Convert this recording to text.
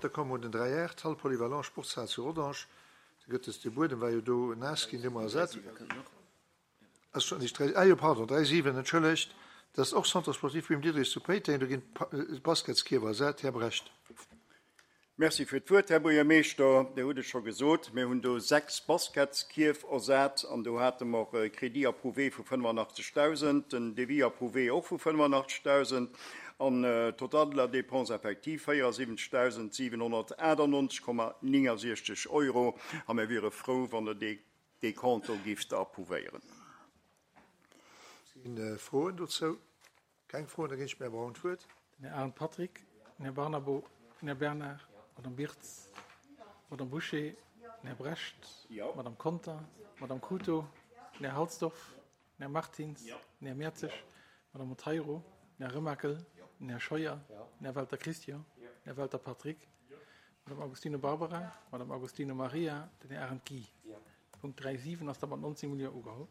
Da komme mer un den 3 8, d'Hall polyvalent Sportshal zu Rodange. Do gëtt es, de Buedem war jo do naass ginn, dee hu mer ersat. Ass schon nicht 3, ah jo, pardon, 3, 7, entschëllegt. Dat ass och Centre sportif Wim Diderich zu Péiteng, do ginn d'Basketskierf ersat. Här Brecht. Merci fir d'Wuert, Här Buergermeeschter. Dir hutt et scho gesot, mir hunn do 6 Basketskierf ersat an do hate mer e Crédit approuvé vu 85.000, den Devis approuvé och vu 85.000 an total de la dépense effective 74.798,69 Euro. A mir wiere frou, wann Der dee Decompte do gifft approuvéieren. Si Froen dozou? Keng Froen, da ginn ech dem Här Braun d'Wuert. Den Här Arendt Patrick, den Här Barnabo, den Här Bernard, d'Madame Birtz, d'Madame Bouché, den Här Brecht, d'Madame Conter, d'Madame Cruto, den Här Halsdorf, den Här Martins, den Här Mertzig, d'Madame Monteiro, den Här Remakel, den Här Scheuer, den Här Welter Christian, den Här Welter Patrick, d'Madame Agostino Barbara, d'Madame Agostino Maria, den Här Arendt Guy. Punkt 3, 7 ass da mat 19 Millions ugeholl.